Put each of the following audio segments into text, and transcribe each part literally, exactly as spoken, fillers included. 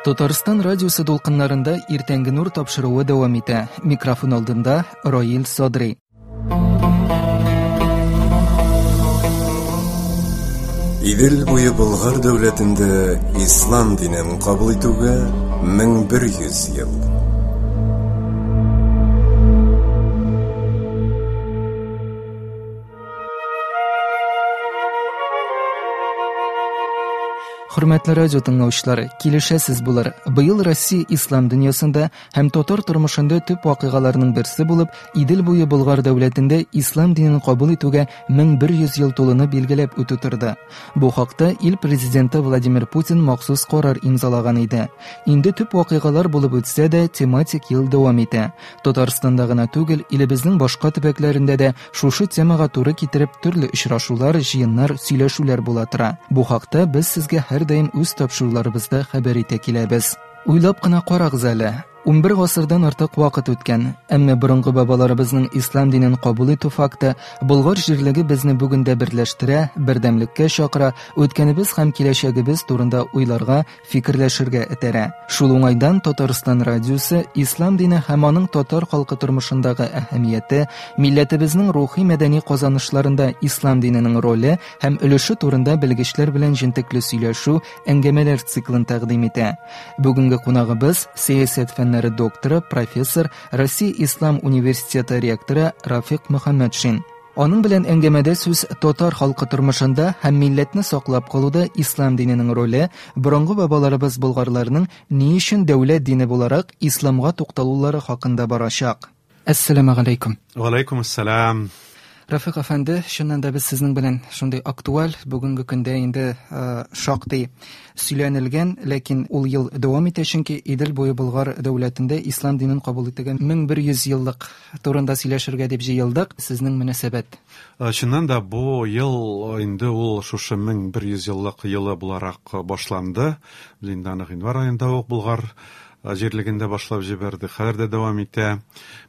Татарстан радиосы дулкыннарында иртәнге нур тапшыруы дәвам итә. Микрофон алдында Раил Садри. Идел буе Болгар дәүләтендә ислам динен кабул итүгә мең бер йөз ел. Хөрмәтле радио тыңлаучылар, килешәсез булыр. Быел Россия ислам дөньясында һәм татар тормышында төп вакыйгаларның берсе булып, Идел буе Болгар дәүләтендә ислам динен кабул итүгә мең бер йөз ел тулуны билгеләп үтү торды. Бу хакта ил президенты Владимир Путин махсус карар имзалаган иде. Инде төп вакыйгалар булып үтсә дә, тематик ел дәвам итә. Татарстанда гына түгел, илебезнең башка төбәкләрендә дә шушы темага туры китереп төрле очрашулар, җыеннар, сөйләшүләр була тора. Бу хакта без сезгә һәр даим үз тапшыруларыбызда хәбәр итә киләбез. Уйлап кына карагыз әле. Унбер гасырдан артык вакыт үткән, әмма борынгы бабаларыбызның ислам динен кабул итү факты Болгар җирлеге безне бүген дә берләштерә, бердәмлеккә чакыра, үткәнебез һәм киләчәгебез турында уйларга, фикерләшергә этәрә. Шул уңайдан Татарстан радиосы ислам дине һәм аның татар халкы тормышындагы әһәмияте, милләтебезнең рухи мәдәни казанышларында ислам диненең роле һәм өлеше турында белгечләр белән җентекле сөйләшү, әңгәмәләр циклын тәкъдим итә. Бүгенге кунагыбыз сәясәт фәннәре докторы, профессор, Россия Ислам университеты ректоры Рафик Мөхәммәтшин. Аның белән әңгәмәдә сүз татар халкы тормышында һәм милләтне саклап калуда ислам диненең роле, борынгы бабаларыбыз болгарларның ни өчен дәүләт дине буларак исламга тукталулары хакында барачак. Әссәламү галәйкүм. Ва алейкум ассалам. Рафик әфәнде, чыннан да без сезнең белән шундый актуаль, бүгенге көндә инде шактый сөйләнелгән, ләкин ул ел дәвам итә, чөнки Идел буе Болгар дәүләтендә ислам динен кабул ителгән мең бер йөз еллык турында сөйләшергә дип җыелдык. Сезнең мөнәсәбәт? Чыннан да бу ел инде ул шушы мең бер йөз еллык елы буларак башланды. Без инде аны гыйнвар аенда ук Болгар җирлегендә башлап җибәрдек. Хәзер дә дәвам итә.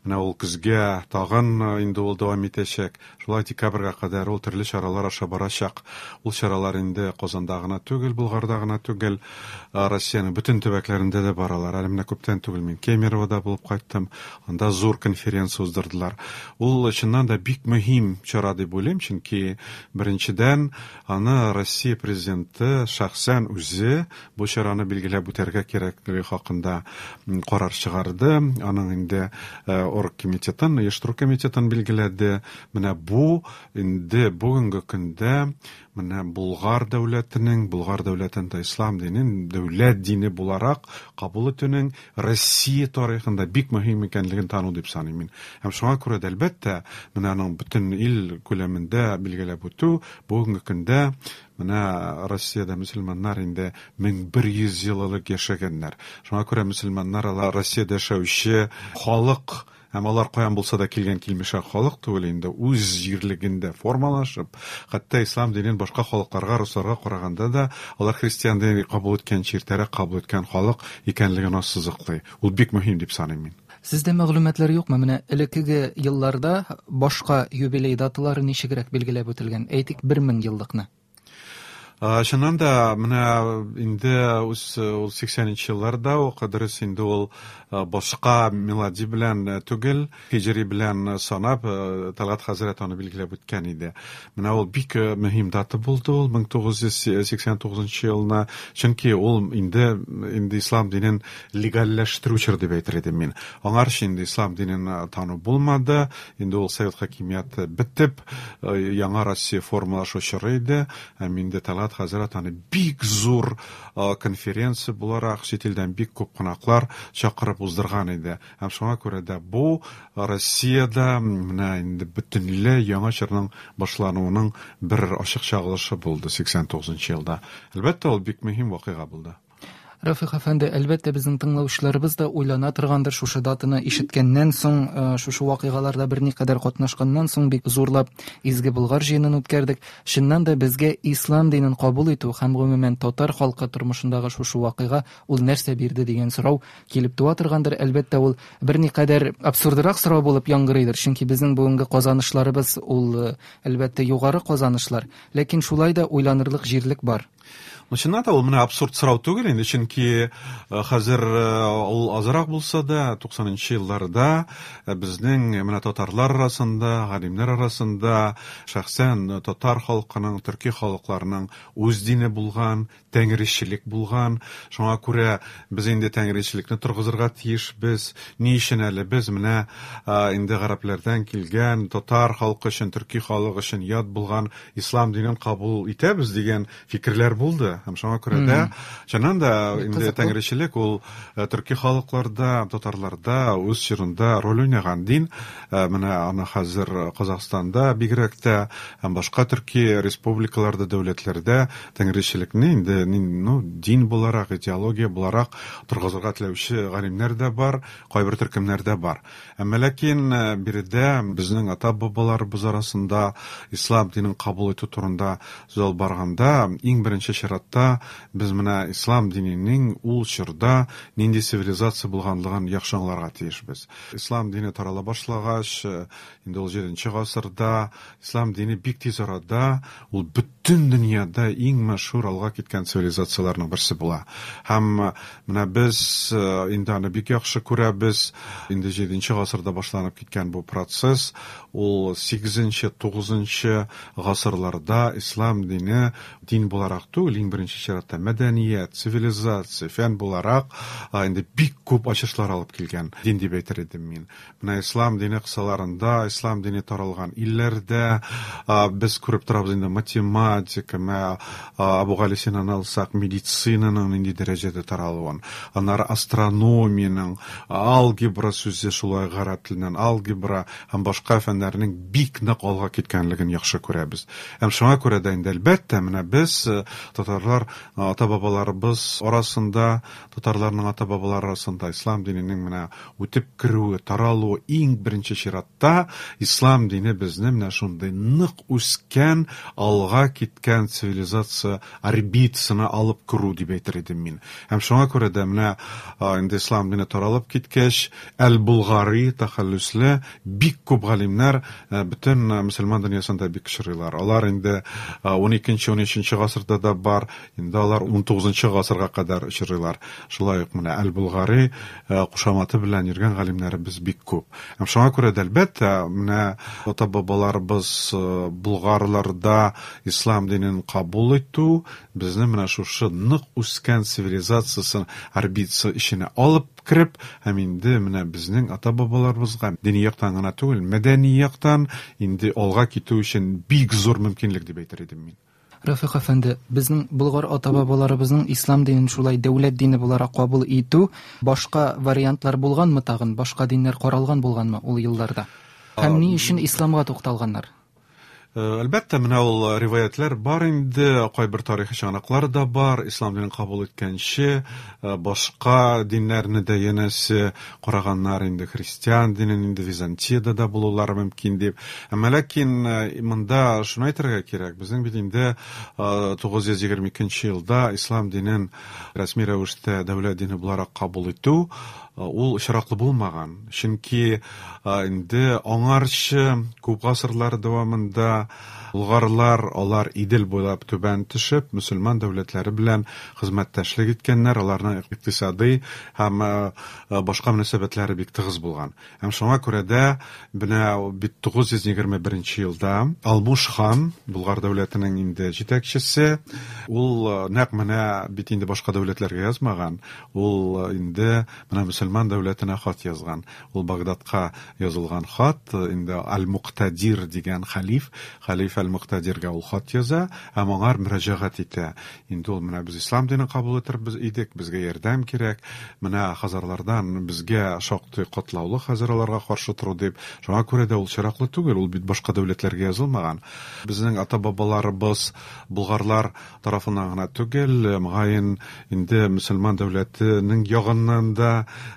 Менә ул көзгә тагын инде ул дәвам итәчәк. Шулай декабрьгә кадәр ул төрле чаралар аша барачак. Ул чаралар инде Казанда гына түгел, Болгарда гына түгел, Россиянең бөтен төбәкләрендә дә баралар. Әле менә күптән түгел мин Кемеровода булып кайттым. Анда зур конференция уздырдылар. Ул чыннан да бик мөһим чара дип уйлыйм, чөнки беренчедән аны Россия президенты шәхсән үзе бу чараны билгеләп үтәргә кирәклеге хакында карар чыгарды. Аның инде оргкомитетын, оештыру комитетын билгеләде. Менә бу инде бүгенге көндә менә Болгар дәүләтенең, Болгар дәүләтендә ислам динен дәүләт дине буларак кабул итүнең Россия тарихында бик мөһим икәнлеген тану дип саныйм мин. Һәм шуңа күрә дә, әлбәттә, менә аның бөтен ил күләмендә билгеләп үтү бүгенге көндә менә Россиядә мөселманнар инде мең бер йөз ел элек яшәгәннәр. Шуңа күрә мөселманнар алар Россиядә яшәүче халык, һәм алар каян булса да килгән килмешәк халык түгел, инде үз җирлегендә формалашып, хәтта ислам динен башка халыкларга, русларга караганда да алар христиан динен кабул иткән, иртәрәк кабул иткән халык икәнлеген ассызыклый. Ул бик мөһим дип саныйм мин. Сездә мәгълүматлар юкмы? Менә элеккеге елларда башка юбилей даталары ничегрәк билгеләп үтелгән? Әйтик, бер мең еллыкны. Чыннан да менә инде үз ул сиксәненче елларда ук дөрес инде ул башка мелодия белән түгел, һиҗри белән санап Талгат хәзрәт аны билгеләп үткән иде. Менә ул бик мөһим дата булды ул мең тугыз йөз сиксән тугызынчы елны, чөнки ул инде инде ислам динен легальләштерү чоры дип әйтер идем мин. Аңарчы инде ислам динен тану булмады, инде ул совет хакимияте бетеп, яңа Россия формалашу чоры иде. Һәм инде Талгат хәзрәт аны бик зур конференция буларак чит илдән бик күп кунаклар чакырып уздырган иде. Һәм шуңа күрә дә бу Россиядә менә инде бөтенләй яңа чорның башлануының бер ачык чагылышы булды сиксән тугызынчы елда. Әлбәттә, ул бик мөһим вакыйга булды. Рафик әфәнде, әлбәттә, безнең тыңлаучыларыбыз да уйлана торгандыр шушы датаны ишеткәннән соң, шушы вакыйгаларда берникадәр катнашканнан соң бик зурлап Изге Болгар җыенын үткәрдек. Чыннан да безгә ислам динен кабул итү һәм гомумән татар халкы тормышындагы шушы вакыйга ул нәрсә бирде дигән сорау килеп туа торгандыр. Әлбәттә, ул берникадәр абсурдрак сорау булып яңгырыйдыр, чөнки безнең бүгенге казанышларыбыз ул, әлбәттә, югары казанышлар, ләкин шулай да уйланырлык җирлек бар. Ну, чыннан да ул менә абсурд сорау түгел инде, чөнки хәзер ул азрак булса да, туксанынчы елларда безнең менә татарлар арасында, галимнәр арасында шәхсән татар халкының, төрки халыкларының үз дине булган, тәңречелек булган. Шуңа күрә без инде тәңречелекне торгызырга тиешбез. Ни өчен әле без менә инде гарәпләрдән килгән татар халкы өчен, төрки халык өчен ят булган ислам динен кабул итәбез дигән фикерләр булды. Һәм шуңа күрә дә, чыннан да инде тәңречелек ул төрки халыкларда, татарларда үз чорында роль уйнаган дин. Менә аны хәзер Казахстанда бигрәк тә һәм башка төрки республикаларда, дәүләтләрдә тәңречелекне инде ну, дин буларак, идеология буларак торгызырга теләүче галимнәр дә бар, кайбер төркемнәр дә бар. Әмма ләкин биредә безнең ата-бабаларыбыз арасында ислам динен кабул итү турында сүз алып барганда, иң беренче чиратта без менә ислам диненең ул чорда нинди цивилизация булганлыгын яхшы аңларга тиешбез. Ислам дине тарала башлагач, инде ул җиденче гасырда ислам дине бик тиз арада ул бөтен дөньяда иң мәшһүр алга киткән цивилизацияләрнең берсе була. Һәм менә без инде аны бик яхшы күрәбез. Инде җиденче гасырда башланып киткән бу процесс ул сигезенче, тугызынчы гасырларда ислам дине дин буларак түгел, иң беренче чиратта мәдәният, цивилизация, фән буларак инде бик күп ачышлар алып килгән дин дип әйтер идем мин. Менә ислам дине кысаларында, ислам дине таралган илләрдә без күреп торабыз инде математика, менә Абу Гали Синаны алсак, медицинаның нинди дәрәҗәдә таралуын, аннары астрономиянең, алгебра сүзе шулай гарәп теленнән алгебра һәм башка фәннәрнең бик нык алга киткәнлеген яхшы күрәбез. Һәм шуңа күрә дә инде әлбәттә менә без татарлар ата-бабаларыбыз арасында, татарларның ата-бабалары арасында ислам диненең менә үтеп керүе, таралуы иң беренче чиратта ислам дине безне менә шундый нык үскән, алга киткән цивилизация орбитасына алып керү дип әйтер идем мин. Һәм шуңа күрә дә менә инде ислам дине таралып киткәч, Әл-Булгари тәхәллүсле бик күп галимнәр бөтен мөселман дөньясында бик очрыйлар. Алар инде ун икенче, ун өченче гасырда да бар, инде алар ун тугызынчы гасырга кадәр очрыйлар. Шулай ук менә Әл-Булгари кушаматы белән йөргән галимнәребез бик күп. Һәм шуңа күрә дә әлбәттә менә ата-бабаларыбыз булгарларда ислам динен кабул итү безне менә шушы нык үскән цивилизациясын орбитасы эченә алып кереп, һәм инде менә безнең ата-бабаларыбызга дини яктан гына түгел, мәдәни яктан инде алга китү өчен бик зур мөмкинлек дип әйтер идем мин. Рафик әфәнде, безнең болгар ата-бабаларыбызның ислам динен шулай дәүләт дине буларак кабул итү, башка вариантлар булганмы тагын, башка диннәр каралган булганмы ул елларда? Һәм ни өчен исламга тукталганнар? Әлбәттә, менә ул риваятлар бар инде, кайбер тарихи чыганаклар да бар, ислам динен кабул иткәнче, башка диннәрне дә янәсе караганнар инде, христиан динен инде Византиядә дә булулары мөмкин дип. Әмма ләкин монда шуны әйтергә кирәк, безнең бит инде тугыз йөз егерме икенче елда ислам динен рәсми рәвештә дәүләт дине буларак кабул итү ул очраклы булмаган. Чөнки инде аңарчы күп гасырлар дәвамында булгарлар алар Идел буйлап түбән төшеп, мөселман дәүләтләре белән хезмәттәшлек иткәннәр, аларның икътисади һәм башка мөнәсәбәтләре бик тыгыз булган. Һәм шуңа күрә дә менә бит тугыз йөз егерме беренче елда Алмуш хан, Булгар дәүләтенең инде җитәкчесе, ул нәкъ менә бит инде башка дәүләтләргә язмаган, ул инде менә мөселман дәүләтенә хат язган. Ул Багдадка язылган хат, инде Аль-Муктадир дигән халиф, халиф Аль-Муктадиргә ул хат яза һәм аңар мөрәҗәгать итә. Инде ул менә без ислам динен кабул итербез идек, безгә ярдәм кирәк. Менә хазарлардан безгә шактый катлаулы хазарларга каршы тору дип. Шуңа күрә дә ул чираклы түгел, ул бит башка дәүләтләргә язылмаган. Безнең ата-бабаларыбыз булгарлар тарафыннан гына түгел, мөгаен инде мөселман дәүләтенең ягыннан да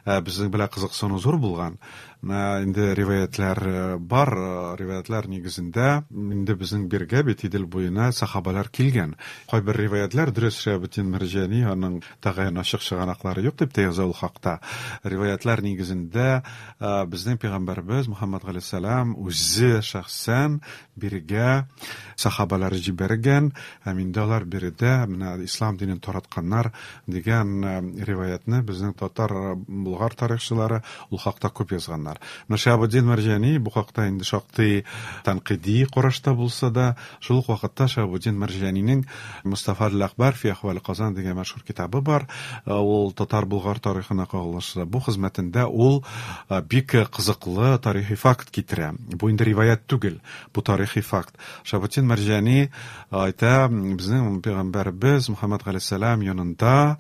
безнең белән кызыксыну зур булган. Инде риваятлар бар, риваятлар нигезендә инде безнең биргә бит Идел буена сахабалар килгән. Кайбер риваятлар дөрес Шиһабетдин Мәрҗани аның тәгаен ачык чыганаклары юк дип тә яза ул хакта. Риваятлар нигезендә безнең пәйгамбәрбез Мухаммад галәйһиссәлам үзе шәхсән биргә сахабалар җибәргән һәм инде алар биредә менә ислам динен таратканнар дигән риваятны безнең татар болгар тарихчылары ул хакта күп язганнар. Менә Шиһабетдин Мәрҗани бу хакта инде шактый тәнкыйди карашта булса да, шул ук вакытта Шиһабетдин Мәрҗанинең Мустафа әл-Әхбар фи әхваль Казан дигән мәшһүр китабы бар. Ул татар болгар тарихына кагылышлы. Бу хезмәтендә ул бик кызыклы тарихи факт китерә. Бу инде риваят түгел, бу тарихи факт. Шиһабетдин Мәрҗани әйтә, безнең пәйгамбәрбез Мухаммад галәйһиссәлам янында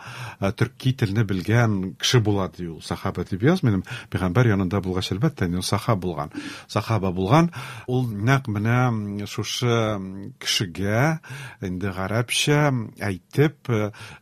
төрки телне белгән кеше була ди ул. Сахаба дип язмыйм, пәйгамбәр янында булгач, әлбәттә, инде ул сахаба булган. Сахаба булган. Ул нәкъ менә шушы кешегә инде гарәпчә әйтеп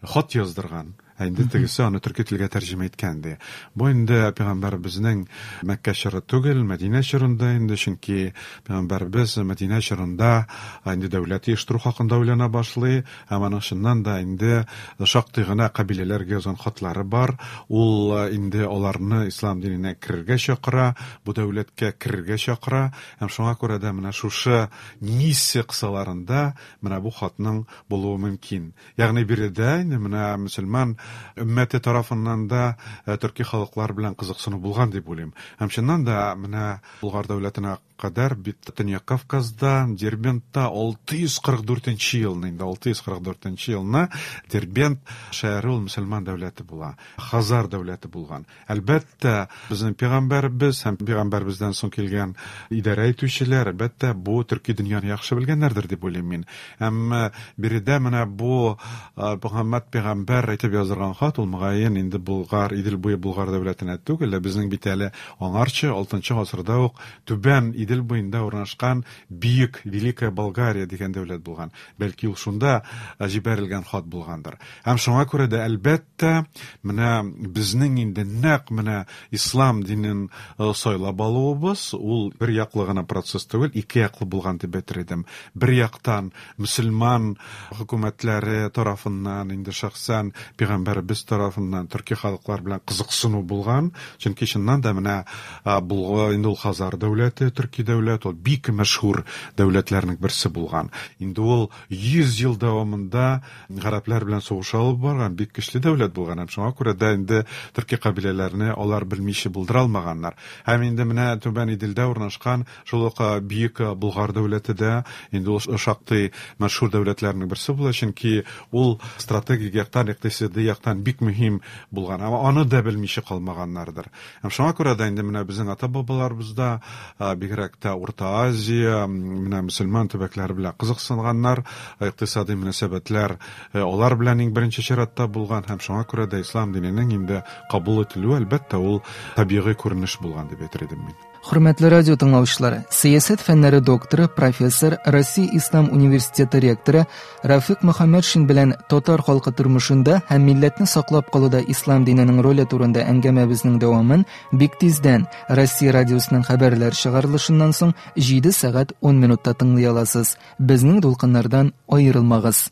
хат яздырган. Инде тегесе аны төрки телгә тәрҗемә иткән ди. Бу инде пәйгамбәребезнең Мәккә чоры түгел, Мәдинә чорында инде, чөнки пәйгамбәребез Мәдинә чорында инде дәүләт оештыру хакында уйлана башлый, һәм аның чыннан да инде шактый гына кабиләләргә язган хатлары бар. Ул инде аларны ислам диненә керергә чакыра, бу дәүләткә керергә чакыра, һәм шуңа күрә дә менә шушы миссия кысаларында менә бу хатның булуы мөмкин. Ягъни биредә инде менә мөселман өммәте тарафыннан да төрки халыклар белән кызыксыну булган дип уйлыйм. Һәм чыннан да менә Болгар дәүләтенә кадәр бит Төньяк Кавказда, Дербентта алты йөз кырык дүртенче елны, инде алты йөз кырык дүртенче елны Дербент шәһәре ул мөселман дәүләте була, Хазар дәүләте булган. Әлбәттә, безнең пәйгамбәрбез һәм пәйгамбәрбездән соң килгән идарә итүчеләр, әлбәттә, бу төрки дөньяны яхшы белгәннәрдер дип уйлыйм мин. Әмма биредә менә бу Мөхәммәд пәйгамбәр әйтеп яздырган хат ул мөгаен инде Болгар, Идел буе Болгар дәүләтенә түгел, безнең бит әле аңарчы алтынчы гасырда ук түбән Идел буенда урнашкан Бөек Великая Болгария дигән дәүләт булган. Бәлки ул шунда җибәрелгән хат булгандыр. Һәм шуңа күрә дә әлбәттә менә безнең инде нәкъ менә ислам динен сайлап алуыбыз ул бер яклы гына процесс түгел, ике яклы булган дип әйтер идем. Бер яктан мөселман хөкүмәтләре тарафыннан, инде шәхсән пәйгамбәребез тарафыннан төрки халыклар белән кызыксыну булган, чөнки чыннан да менә Болгар инде ул Хазар дәүләте, төрки дәүләт, ул бик мәшһүр дәүләтләрнең берсе булган. Инде ул йөз ел дәвамында гарәпләр белән сугыш алып барган бик көчле дәүләт булган. Һәм шуңа күрә дә инде төрки кабиләләрне алар белмичә булдыра алмаганнар. Һәм инде менә Түбән Иделдә урнашкан шул ук Бөек Болгар дәүләте дә инде ул шактый мәшһүр дәүләтләрнең берсе була, чөнки ул стратегик яктан, икътисади яктан бик мөһим булган. Әмма аны да белмичә калмаганнардыр. Һәм шуңа күрә дә инде менә безнең ата-бабаларыбызда бигрәк тә Урта Азия, менә мөселман төбәкләре белән кызыксынганнар, икътисади мөнәсәбәтләр алар белән иң беренче чиратта булган, һәм шуңа күрә дә ислам диненең инде кабул ителүе әлбәттә ул табигый күренеш булган дип әйтер идем мин. Хөрмәтле радио тыңлаучылар, сәясәт фәннәре докторы, профессор, Россия Ислам университеты ректоры Рафик Мөхәммәтшин белән татар халкы тормышында һәм милләтне саклап калуда ислам диненең роле турында әңгәмәбезнең дәвамын бик тиздән Россия радиосының хәбәрләр чыгарылышыннан соң җиде сәгать ун минутта тыңлый аласыз. Безнең дулкыннардан аерылмагыз.